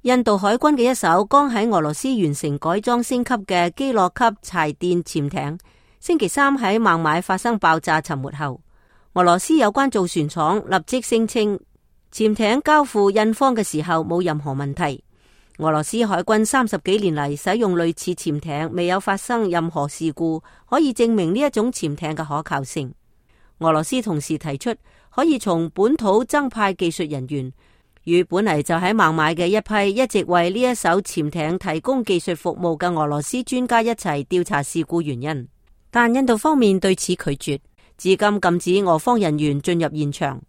印度海軍嘅一艘剛喺俄羅斯完成改裝升級嘅基洛級柴電潛艇，星期三喺孟買發生爆炸沉沒後，俄羅斯有關造船廠立即聲稱潛艇交付印方嘅時候冇任何問題。俄羅斯海軍30幾年嚟使用類似潛艇，未有發生任何事故，可以證明呢一種潛艇嘅可靠性。俄羅斯同時提出可以從本土增派技術人員，與本嚟就喺孟買嘅一批一直為呢一艘潛艇提供技術服務嘅俄羅斯專家一齊調查事故原因。但印度方面對此拒絕，至今禁止俄方人員進入現場。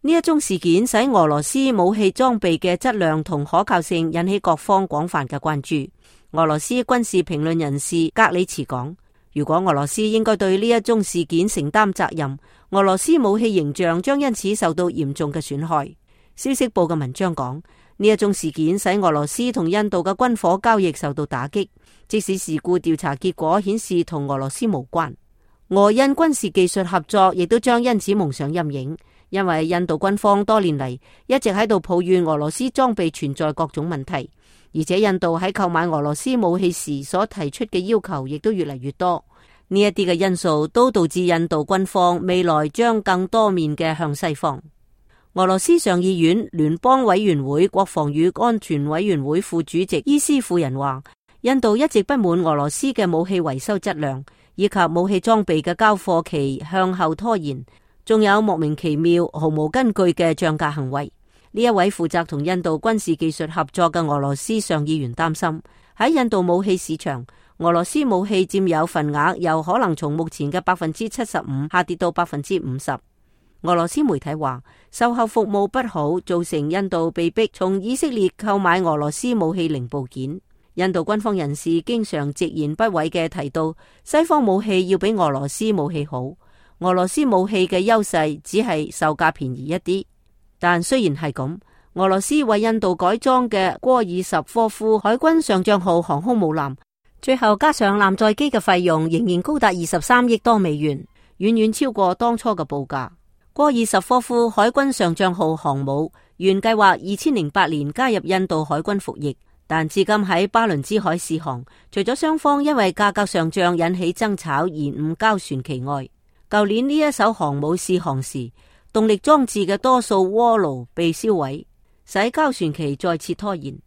呢一宗事件使俄羅斯武器裝備嘅質量同可靠性引起各方廣泛嘅關注。俄羅斯軍事評論人士格里茨講，如果俄羅斯應該對呢一宗事件承擔責任，俄羅斯武器形象將因此受到嚴重嘅損害。消息報嘅文章講，呢一宗事件使俄羅斯同印度嘅軍火交易受到打擊，即使事故調查結果顯示同俄羅斯無關。俄印軍事技術合作亦都將因此蒙上陰影。因為印度軍方多年嚟一直喺度抱怨俄羅斯裝備存在各種問題，而且印度喺購買俄羅斯武器時所提出嘅要求亦都越嚟越多。呢一啲嘅因素都導致印度軍方未來將更多面嘅向西方。俄羅斯上議院聯邦委員會國防與安全委員會副主席伊斯夫人話，印度一直不滿俄羅斯嘅武器維修質量，以及武器裝備嘅交貨期向後拖延，仲有莫名其妙毫無根據嘅漲價行為。呢一位負責同印度軍事技術合作嘅俄羅斯上議員擔心，喺印度武器市場，俄羅斯武器佔有份額又可能從目前嘅75%下跌到50%。俄羅斯媒體話，售後服務不好，造成印度被迫從以色列購買俄羅斯武器零部件。印度軍方人士經常直言不諱嘅提到，西方武器要比俄羅斯武器好。俄羅斯武器嘅優勢只係售價便宜一啲，但雖然係咁，俄羅斯為印度改裝嘅戈爾什科夫海軍上將號航空母艦，最後加上艦載機嘅費用仍然高達23億多美元，遠遠超過當初嘅報價。戈爾什科夫海軍上將號航母原計劃2008年加入印度海軍服役，但至今喺巴倫支海試航，除咗雙方因為價格上漲引起爭吵延誤交船期外，舊年呢一艘航母試航時，動力裝置嘅多數鍋爐被燒毀，使交船期再次拖延。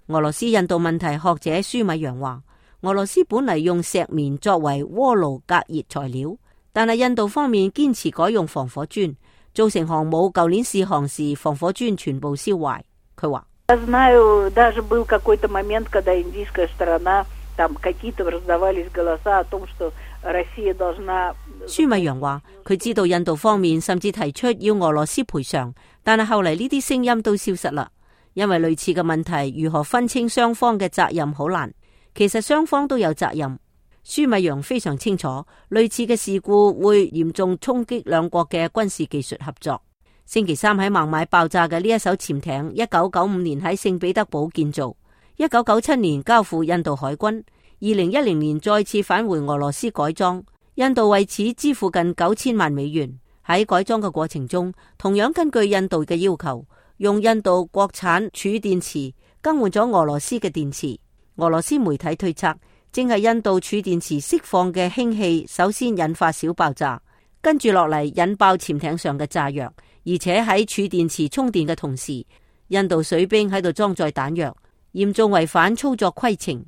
俄羅斯印度問題學者舒米揚話，俄羅斯本嚟用石棉作為鍋爐隔熱材料，但係印度方面堅持改用防火磚，造成航母舊年試航時防火磚全部燒壞。佢話，舒米揚話，佢知道印度方面甚至提出要俄羅斯賠償，但係後嚟呢啲聲音都消失啦。因為類似嘅問題，如何分清雙方嘅責任好難。其實雙方都有責任。舒米揚非常清楚，類似嘅事故會嚴重衝擊兩國嘅軍事技術合作。星期三喺孟買爆炸嘅呢一艘潛艇，1995年喺聖彼得堡建造，1997年交付印度海軍，2010年再次返回俄羅斯改裝。印度為此支付近9000萬美元。喺改裝嘅過程中，同樣根據印度嘅要求，用印度國產儲電池更換咗俄羅斯嘅電池。俄羅斯媒體推測，正係印度儲電池釋放嘅氫氣首先引發小爆炸，跟住落嚟引爆潛艇上嘅炸藥，而且喺儲電池充電嘅同時，印度水兵喺度裝載彈藥，嚴重違反操作規程。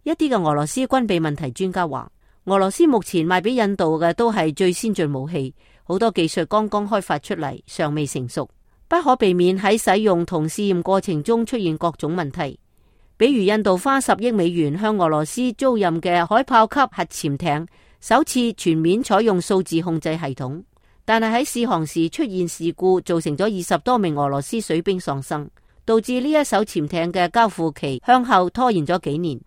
一啲嘅俄羅斯軍備問題專家話，俄羅斯目前賣俾印度嘅都係最先進武器，好多技術剛剛開發出嚟，尚未成熟，不可避免喺使用同試驗過程中出現各種問題。比如印度花10億美元向俄羅斯租賃嘅海豹級核潛艇，首次全面採用數字控制系統，但係喺試航時出現事故，造成咗20多名俄羅斯水兵喪生，導致呢一艘潛艇嘅交付期向後拖延咗幾年。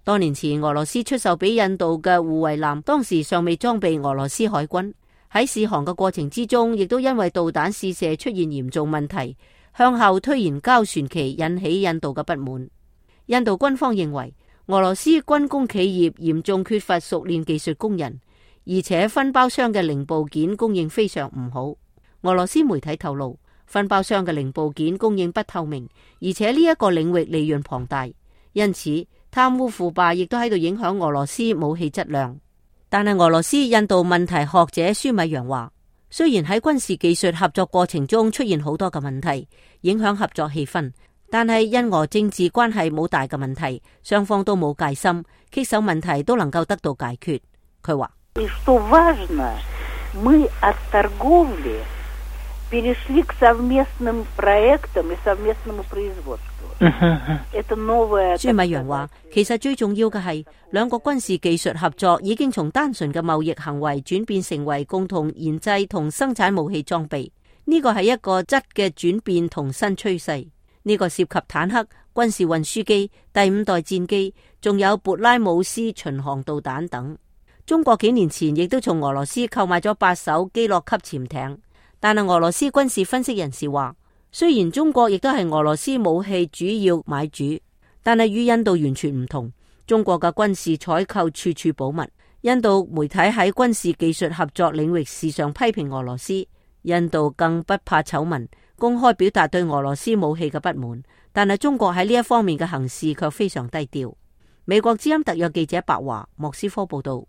多年前俄羅斯出售俾印度嘅護衛艦，當時尚未裝備俄羅斯海軍，喺試航嘅過程之中，亦都因為導彈試射出現嚴重問題，向後推延交船期，引起印度嘅不滿。印度軍方認為俄羅斯軍工企業嚴重缺乏熟練技術工人，而且分包商嘅零部件供應非常唔好。俄羅斯媒體透露，分包商嘅零部件供應不透明，而且呢一個領域利潤龐大，因此貪污腐敗亦都喺度影響俄羅斯武器質量。但係俄羅斯印度問題學者舒米揚話，雖然喺軍事技術合作過程中出現好多嘅問題，影響合作氣氛，但係印俄政治關係冇大嘅問題，雙方都冇戒心，棘手問題都能夠得到解決。佢話舒米揚話，其實最重要嘅係兩國軍事技術合作已經從單純嘅貿易行為轉變成為共同研製同生產武器裝備，呢個係一個質嘅轉變同新趨勢。呢個涉及坦克、軍事運輸機、第5代戰機，仲有勃拉姆斯巡航導彈等。中國幾年前亦都從俄羅斯購買咗8艘基洛級潛艇，但係俄羅斯軍事分析人士話，雖然中國亦都係俄羅斯武器主要買主，但係與印度完全唔同。中國嘅軍事採購處處保密，印度媒體喺軍事技術合作領域時常批評俄羅斯，印度更不怕醜聞，公開表達對俄羅斯武器嘅不滿。但係中國喺呢一方面嘅行事卻非常低調。美國之音特約記者白華莫斯科報道。